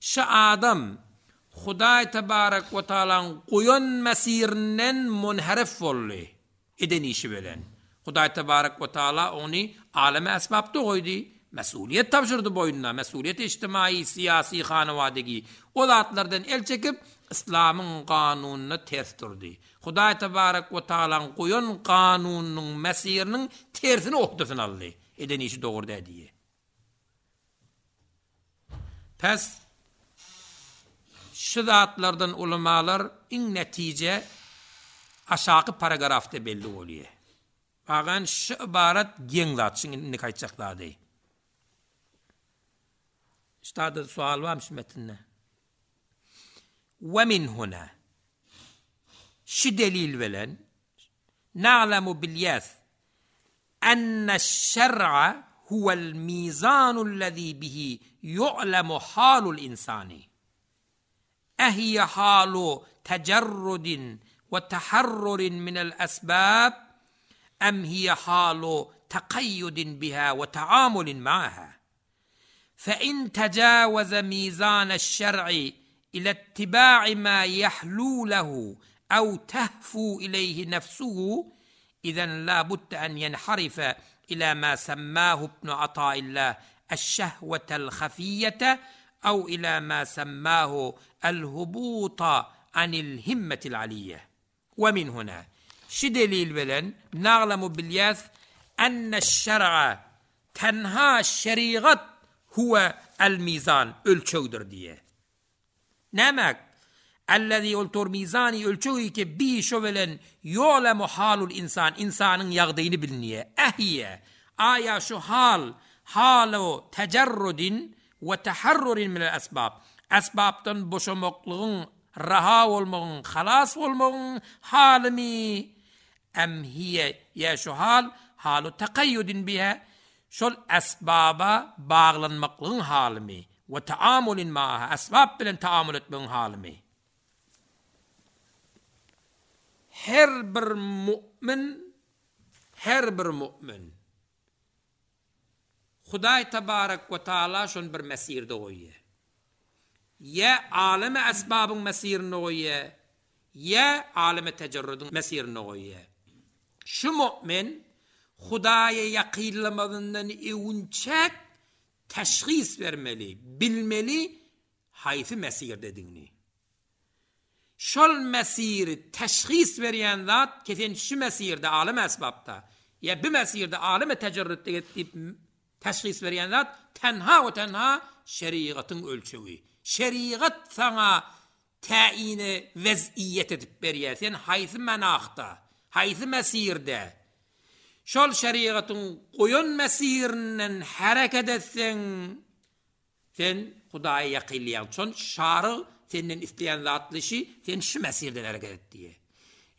Şu adam Hudaý tebarek we taalaň goýan mesirinden munharif boldy eden işi bilen. Hudaý tebarek we taala ony aleme esbapda goýdy, mesuliýet tabşyrdy boýnuna, mesuliýet ijtimai, syýasy, hanawadigi. O zatlardan el çekip İslamyň kanunyna ters durdy. Hudaý tebarek we taalaň goýan kanunynyň mesiriniň tersini ohdasyny aldy. Eden işi dogry diýdi. Pes şu zatlardan ulamalar iň netije aşaky paragrafda belli bolýar. Bagan şu ibarat geň zat, şiň indi gaýtjaklady. Üstada sual barmy şu metinde? Ve min huna. Şu delil bilen na'lemu bilýäs enne şer'a huwel mizanul lezi bihi yu'lemu halul insani. Ehiye halu tecerrudin ve taharrurin minel esbab em hiye halu takayyudin biha ve taamulin ma'aha. فإن تجاوز ميزان الشرع إلى اتباع ما يحلو له أو تهفو إليه نفسه إذا لا بد أن ينحرف Ila ma semmahu ibn Ataillah eş-şehwetel hafiyyete ew ila ma semmahu el-hubuta anil himmetil aliyye. We min huna. Şu delil bilen naglamu bilýäs enne-şer'a tenha şerigat huwe el-mizan ölçegdir diýe. Nämek? Ellezî ol tor mizani ölçegi ki bi şo bilen ýolemu halul insan insanyň ýagdaýyny bilinýä. Ehye aýa şu hal halu tecerrudin we taharrurin min el-esbab. Esbapdan boşamaklygyň, raha bolmagyň, halas bolmagyň halymy em hiye ýa şu hal halu takayyudin biha şol esbaba baglanmaklygyň halymy we taamulin maaha esbab bilen taamul etmegiň halymy. Her bir mu'min her bir mu'min Hudaý tebarek we taala şon bir mesirde goýýar. Ýa aleme esbabyň mesirinde goýýar, ýa aleme tecerrüdüň mesirinde goýýar. Şu mu'min Hudaýa ýakynlamazyndan öwünçek teşhis bermeli, bilmeli haýsy mesirdedigini. Şol mesiri teşhis berýän zat kesen şu mesirde alem esbapda, ýa bir mesirde aleme tecerrüdde diýip teşhis berýän zat tenha we tenha şerigatyň ölçegi. Şerigat sana täýini weziýet edip berýär. Sen haýsy menahda, haýsy mesirde şol şerigatyň goýan mesirinden hereket etseň sen Hudaýa ýakynlaýaň. Şon şary senden isleýän zatlyşy sen şu mesirden hereket et diýe.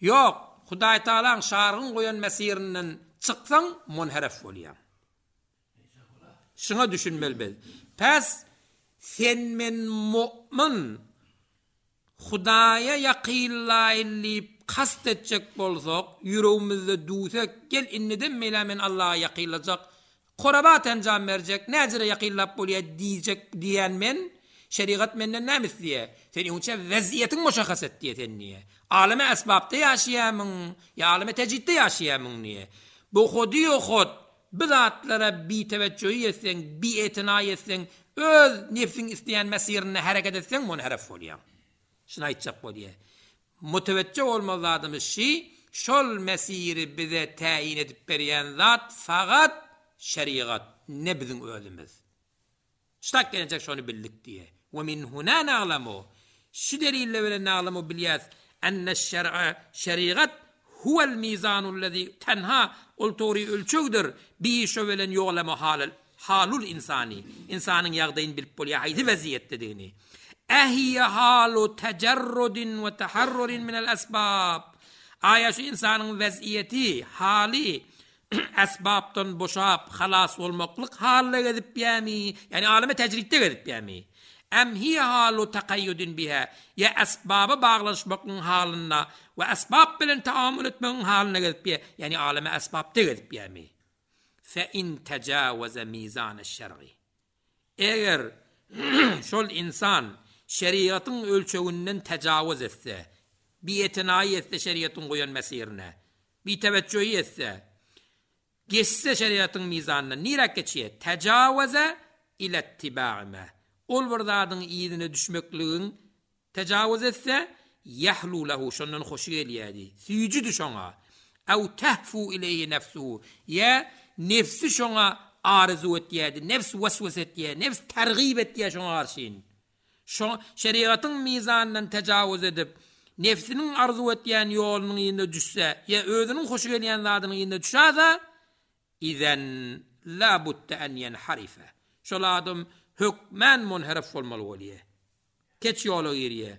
Ýok, Hudaý Taalaň şaryň goýan mesirinden çyksaň munheref bolýaň. Şuna düşünmeli biz. Pes sen men mu'min Hudaýa ýakynlaýyn diýip kast etjek bolsak, ýüregimizde duýsak, gel indiden meýle men Allaha ýakynlajak, korabat enjam berjek, näjere ýakynlap bolýar diýjek diýen men, şerigat menden näme isleýär? Sen öňçe weziýetiň muşahhas et diýe sen niýe? Aleme esbapda ýaşaýamyň, ýa aleme tejidde ýaşaýamyň niýe? Bu hodi hod bu zatlara biteweccühi etseň, bietina etseň, öz nefsiň isleýän mesirine hereket etseň, munheref bolýar. Şunu aýtjak bolýar. Mutewecce olmaly zadymyz şi, şol mesiri bize täyin edip berýän zat fakat şerigat, ne biziň özümiz. Ştak gelecek şonu bildik diýe. We min huna na'lamu. Şu delille bilen na'lamu bilýäs enne şer'a şerigat huwel mizanul lezi tenha ol tory ölçegdir. Bi şo bilen ýolama halal halul insani. Insanyň ýagdaýyny bilip bolýar haýsy weziýetdedigini. Ehiye halu tecerrudin we taharrurin min el esbab. Aya şu insanyň weziýeti, hali esbapdan boşap halas bolmaklyk halyna gezip ýami, ýani aleme tejridde gezip ýami. Em hiye halu takayyudin biha ya esbaba baglaşmaklygyň halyna we esbab bilen taamul etmegiň halyna gezip ýa, ýani aleme esbapda gezip ýami. Fe in tecawaza mizan şer'i. Eger şol insan şeriatın ölçeginden tecavüz etse, bietinayı etse şeriatın goýan mesirine, biteveccühi etse, geçse şeriatın mizanına nirek geçýär? Tecavüze ile ittiba'ime. Ol bir zadyň ýerine düşmekligiň tecavüz etse, yahlu lehu şondan hoşy gelýärdi. Süýjüdi şoňa. Ew tehfu ileyhi nefsuhu. Ya nefsi şoňa arzu etýärdi. Nefs waswas etýär, nefs tergib etýär şoňa garşyn. Şo şeriatın mizanından tecavüz edip, nefsiniň arzu etýän ýolunyň ýerine düşse, ýa özüniň hoşy gelýän zadynyň ýerine düşse, izen la budde en yenharife. Şol adam hökmän munherif bolmaly bolýar. Keç ýola girýär.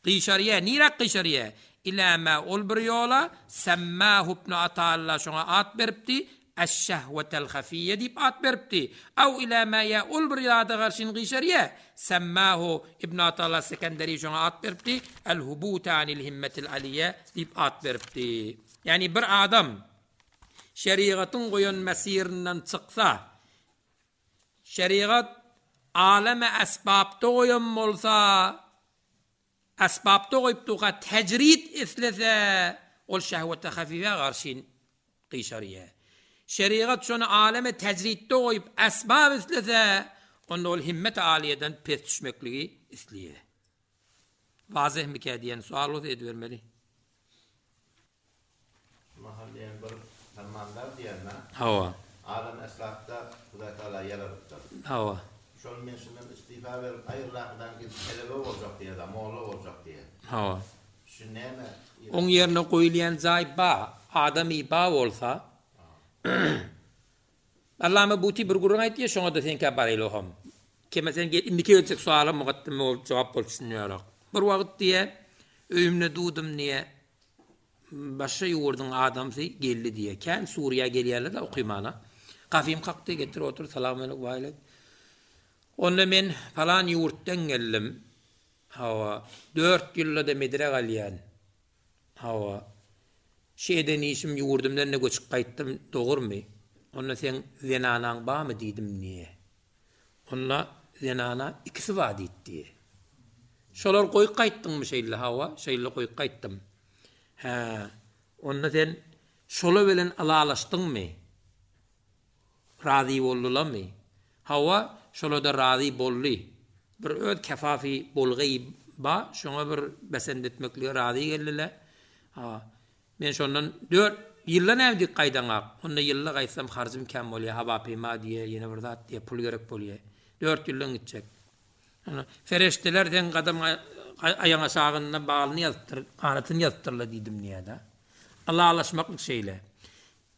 Gyşarýar, niräk gyşarýar? Ila ma ol bir ýola semmahu ibn Atalla şoňa at beripdi. Eş-şehwetel hafiye diýip at beripdi. Aw ila ma ya ol bir ýada garşyn gyşarýar. Semmahu ibn Atalla Sekenderi şoňa at beripdi. El hubuta anil himmetil aliye diýip at beripdi. Ýani bir adam şeriatyn goýan mesirinden çyksa, şeriat aleme esbapda goýan bolsa, esbapda goýup duga tecrid islese, ol şehwete hafife garşyn gyşarýar. Şerigat şony aleme tejritde goýup esbab islese, onda ol himmet aliýeden pes düşmekligi isleýär. Wazeh mikä diýen sual bolsa edibermeli. Mahal diýen bir fermandar diýen Hawa. Alem esbapda Hudaý Taala ýaradypdyr. Hawa. Şol men şundan istifa berip aýryladan gidip telebe boljak diýe, molla boljak diýe. Hawa. Şu näme? Oň ýerine goýulýan jaý ba, adamy ba bolsa, Allama Buti bir gürrüň aýtdy, şoňa da seňkä baraýly hom. Keme sen gel indiki geljek suala mugaddime bolup jogap bolup düşünýärok. Bir wagt diýe, öýümde dudum diýe, başga ýurduň adamsy geldi diýe. Kän Suriýa gelýärler de okymana. Gafym kakdy, getir otur, salam aleyküm, wa Onda men falan ýurtdan geldim. Hawa, dört ýylda da medre galýan. Hawa. Şeýden işim ýurdumdan ne göçüp gaýtdym, dogrumy? Onda sen zenanaň bamy diýdim niýe? Onda zenana ikisi bar diýdi. Şolar goýup gaýtdyňmy şeýle hawa? Şeýle goýup gaýtdym. Hä, onda sen şola bilen alalaşdyňmy? Razy boldularmy? Hawa, şola da razy boldy. Bir öz kefafi bolgy ba, şoňa bir besend etmeklige razy geldiler. Ha, men şondan dört ýylda näme dik gaýdaňak? Onda ýylda gaýtsam harjym kem bolýar, haba pema diýe, ýene bir zat diýe pul gerek bolýar. Dört ýyldan gitjek. Ana, fereşteler sen gadam aýaň aşagynda balyny ýazypdyr, ganatyny ýazypdyrlar diýdim niýe-de. Alalaşmaklyk şeýle.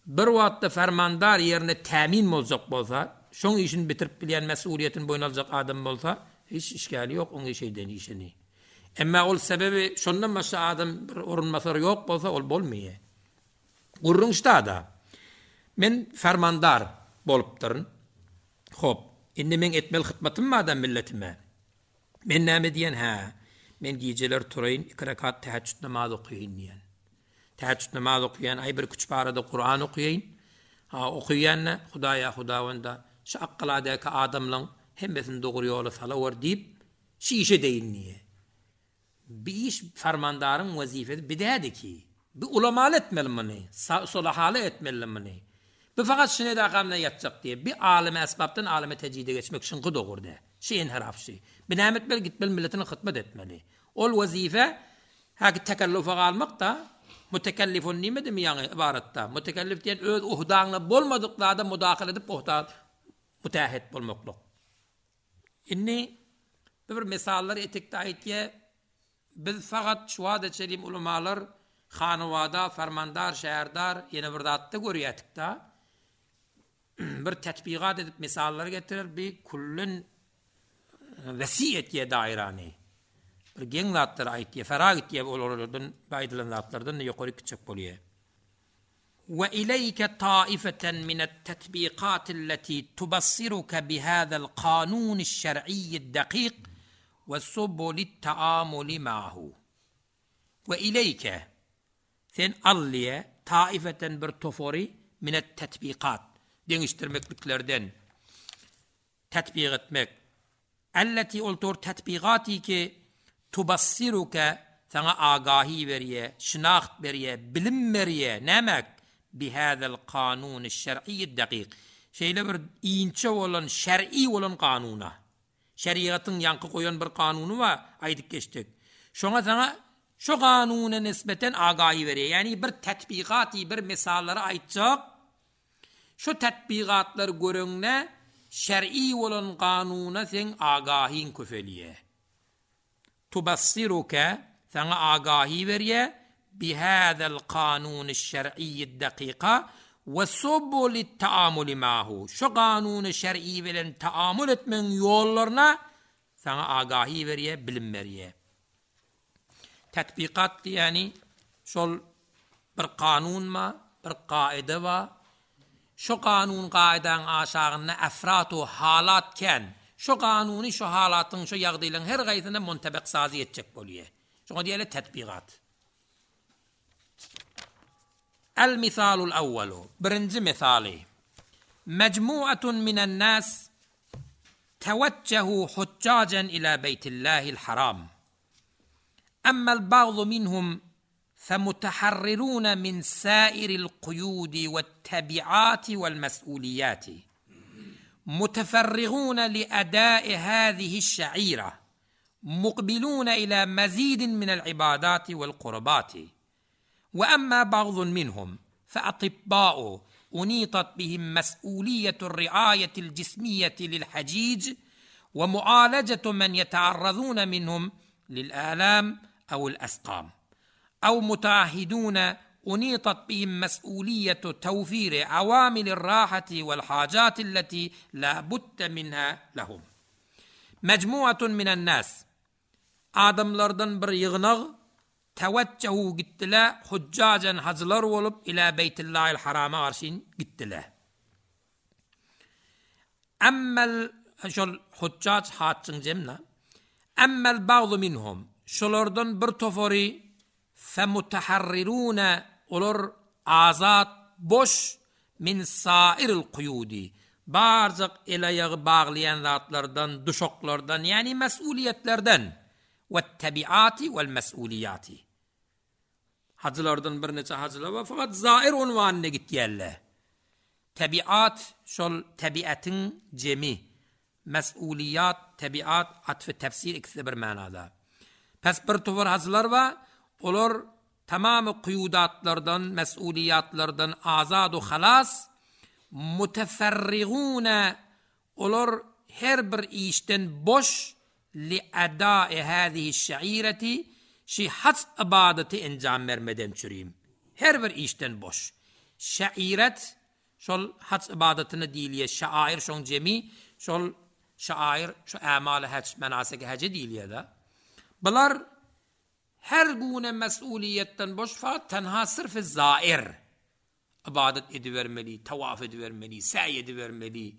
Bir wagtda fermandar ýerine tämin boljak bolsa, şoň işini bitirip bilýän mesuliýetini boýun aljak adam bolsa, hiç işgali ýok oň işeden işini. Emma ol sebebi şondan başga adam bir orunbasary ýok bolsa ol bolmaýar. Gurrun ştada. Men fermandar bolupdyryn. Hop, indi men etmeli hytmatym bar milletime. Men näme diýen hä? Men gijeler turaýyn, iki rekat teheccüd namaz okaýyn diýen. Teheccüd namaz okaýan, aý bir küçük arada Kur'an okaýyn. Ha, okaýan Hudaýa Hudawanda şu akkaladaki adamlaryň hemmesini dogry ýola salawar diýip, şu işe deýin diýe. Bir iş fermandaryň wezifesi bidädi ki. Bir ulamaly etmeli muny, solahaly etmeli muny. Bir fakat şine de akamna ýatjak diýe. Bir alime esbapdan alime tejide geçmek şyňky dogurdy. Şi enharaf şi. Bir näme etmeli, gitmeli milletine hytmat etmeli. Ol wezife haki tekellufa galmak da mutekellifun nimedimi ýaňy ibaratda. Mutekellif diýen öz uhdaňla bolmadyk zada mudaxil edip uhda müteahhit bolmaklyk. Inni bir misallar etikde aýtýa biz fakat şuada çelim ulamalar hanawada, fermandar, şäherdar ýene bir zatda görýätik da bir tetbigat edip misallar getirer bir kullen vesi etýe dairany. Bir geň zatlar aýtýa, ferag etýe olardan aýdylan zatlardan ýokary kiçek bolýar. Ve ileyke taifeten min et-tetbiqat allati tubassiruka bihadha al-qanun aş-şer'i ad-daqiq ve subul at-taamul ma'hu. Ve ileyke sen alliye taifeten bir tofori min et-tetbiqat deňişdirmekliklerden tetbiq etmek. Allati ol tetbigati ki tubassiruka sana agahi berýe, şinaht berýe, bilim berýe, nämek? Bihadal kanun şer'i daqiq. Şeýle bir inçe bolan şer'i bolan kanuna. Şeriatyň ýanky goýan bir kanuny bar, aýdyp geçdik. Şoňa sana şu kanuna nisbeten agahi berýe. Ýani bir tetbigati, bir misallary aýtjak. Şu tetbigatlar görüňne şer'i bolan kanuna sen agahin köfeliye. Tubassiruka sana agahi berýe bihadal kanun şer'i daqiqa ve subul taamul ma'hu. Şu kanun şer'i bilen taamul etmeň ýollaryna sana agahi berýe, bilim berýe. Tetbikat diýeni şol bir kanun ma, bir kaide wa. Şu kanun kaidaň aşagynda efrat u halat ken. Şu kanuny şu halatyň şu ýagdaýlaryň her gaýsyna muntabak sazy etjek bolýar. Şoňa diýeli tetbikat. El misalul awwalu. Birinji misaly. Mecmuatun minen nas teweccehu huccacen ila beytillahil haram. Amma al-ba'd minhum فمتحررون من سائر القيود والتبعات والمسؤوليات متفرغون لأداء هذه الشعيرة مقبلون إلى مزيد من العبادات والقربات وأما بعض منهم فأطباء أنيطت بهم مسؤولية الرعاية الجسمية للحجيج ومعالجة من يتعرضون منهم للآلام أو الأسقام أو متعهدون أنيطت بهم مسؤولية توفير عوامل الراحة والحاجات التي لا بد منها لهم مجموعة من الناس Adamlardan bir ýygnak توجهوا gitdiler حجاجا hajylar bolup إلى بيت الله الحرام garşyn gitdiler. أما şol حجاج haçyň jemna. أما البعض منهم şolardan bir topary فمتحررون olar azat boş من سائر القيود barjak el aýagy baglaýan zatlardan, duşaklardan, ýagny mesuliýetlerden والتبعات والمسؤوليات. Hajylardan birnäçe hajylar bar, fakat zair unwanyna gitýärler. تبعات şol tebiatyň jemi. Mesuliýat, tebiat, atfı tefsir ikisi bir manada. Pes bir topar hajylar bar, olar tamamy kuýudatlardan, mesuliýatlardan azad u halas, متفرغون olar her bir işden boş لأداء هذه الشعيرة şi hac ybadaty enjam bermeden çürüyim. Her bir işden boş. Şairet şol hac ybadatyna diýilýär. Şair şoň jemi, şol şair şu ämaly hac menasiki hajy diýilýär da. Bular her güne mesuliýetden boş fakat tenha sırf zair. Ybadat edibermeli, tawaf edibermeli, säý edibermeli,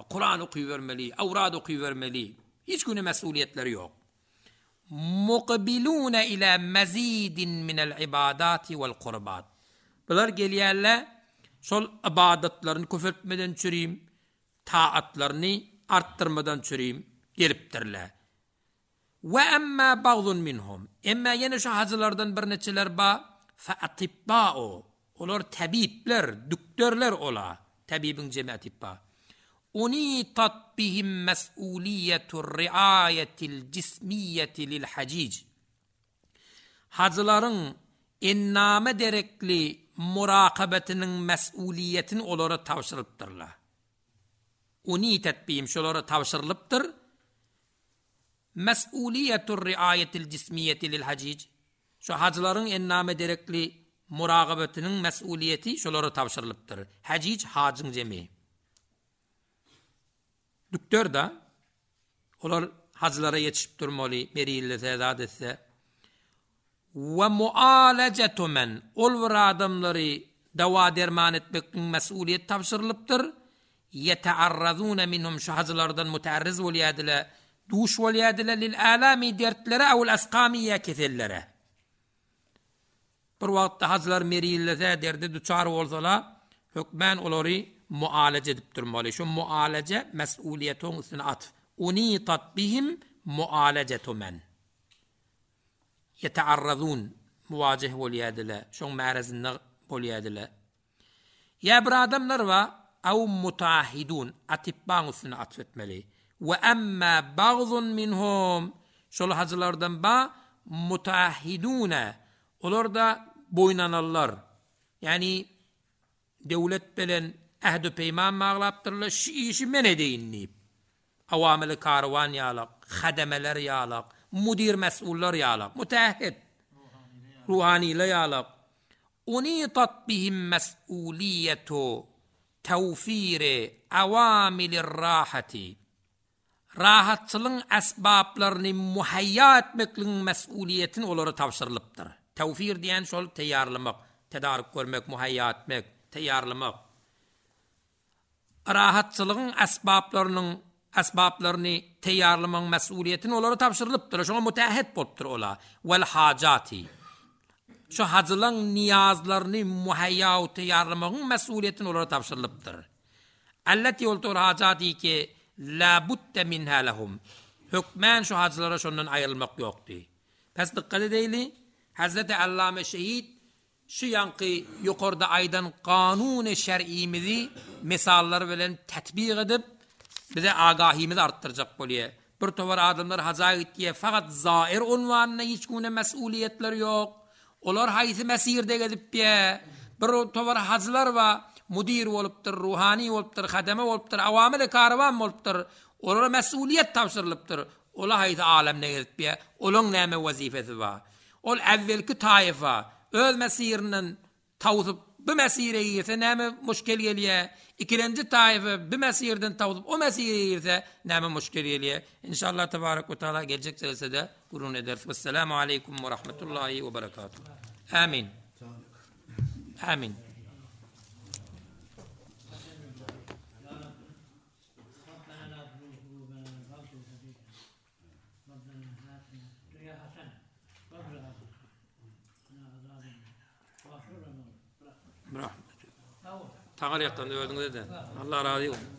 Kur'an okuyubermeli, awrad okuyubermeli. Hiç güne mesuliýetleri ýok. مقبلون إلى مزيد من العبادات والقربات. Bular gelýärler şol ybadatlaryny köpeltmeden çürüyim, taatlaryny arttyrmadan çürüyim gelipdirler. وأما بعض منهم emma ýene şu hajylardan birnäçeler ba فأطباء olar tabipler, dükterler ola. Tabibiň jemi أطباء. أنيطت بهم مسؤولية الرعاية الجسمية للحجيج. Hajylaryň enname derekli murakabatynyň mesuliýetini olara tabşyrypdyrlar. أنيطت بهم şolara tabşyrylypdyr. مسؤولية الرعاية الجسمية للحجيج. Şu hajylaryň enname derekli murakabatynyň mesuliýeti şolara tabşyrylypdyr. حجيج hajyň jemi. Dükter da olar hajylara ýetişip durmaly, merillese, zat etse. ومعالجة من ol bir adamlary dawa derman etmekliň mesuliýet tabşyrylypdyr. يتعرضون منهم şu hajylardan mutarriz bolýardylar, duş bolýardylar للآلام dertlere أو الأسقام ýa kesellere. Bir wagtda hajylar merillese, derdi duçar bolsalar, hökmän olary mualaje edip durmaly. Şu mualaje mesuliýetiň üstüne at. أنيطت بهم معالجة من يتعرضون muwajeh bolýardylar. Şoň märesinde bolýardylar. Ýa bir adamlar bar, أو متعهدون أطباء üstüne atf etmeli. وأما بعض منهم şol hajylardan ba متعهدون olar da boýnanarlar. Ýagny döwlet bilen ähdi peýman baglapdyrlar, şu işi men edeýin diýip. Awamyly karwan ýalak, hademeler ýalak, mudir mesullar ýalak, mutaahhid ruhaniler ýalak. أنيطت بهم مسؤولية توفير عوامل الراحة. Rahatçylygyň esbaplaryny muhaýýa etmekligiň mesuliýetini olara tabşyrylypdyr. توفير diýen şol taýýarlamak, tedarik görmek, muhaýýa etmek, taýýarlamak. Rahatçylygyň esbaplarynyň esbaplaryny taýýarlamagyň mesuliýetini olara tabşyrylypdyr. Şoňa mutaahhid bolupdyr ola. والحاجات. Şu hajylaryň niýazlaryny muhaýýa taýýarlamagyň mesuliýetini olara tabşyrylypdyr. التي oltur حاجات ki لا بد منها لهم. Hökmän şu hajylara şondan aýrylmak ýokdy. Pes dikkat edeýli, Hazreti Allame Şehit şu ýanky ýokarda aýdan kanuny şer'imizi misallar bilen tatbik edip bize agahimizi artdyrjak bolýar. Bir towar adamlar haja gitýär, fakat zair unwanyna hiç güne mesuliyetler ýok. Olar haýsy mesirde gezip bir towar hajlar wa mudir bolupdyr, ruhani bolupdyr, hademe bolupdyr, awamil karawan bolupdyr. Olara mesuliyet tabşyrylypdyr. Ola haýsy alemde gezip olaň näme wazifesi bar. Ol evvelki taifa öz mesirinden tawsyp bu mesire girse näme muşkil gelýär. Ikinji taifa bu mesirden tawsyp o mesire girse näme muşkil gelýär. İnşallah tebarek ve taala gelecek celsede gurun ederiz. Vesselamu aleyküm ve rahmetullahi ve berekatuhu. Amin. Amin. Rahmet. Taňar ýakdan öldüňiz de. Allah razı olsun.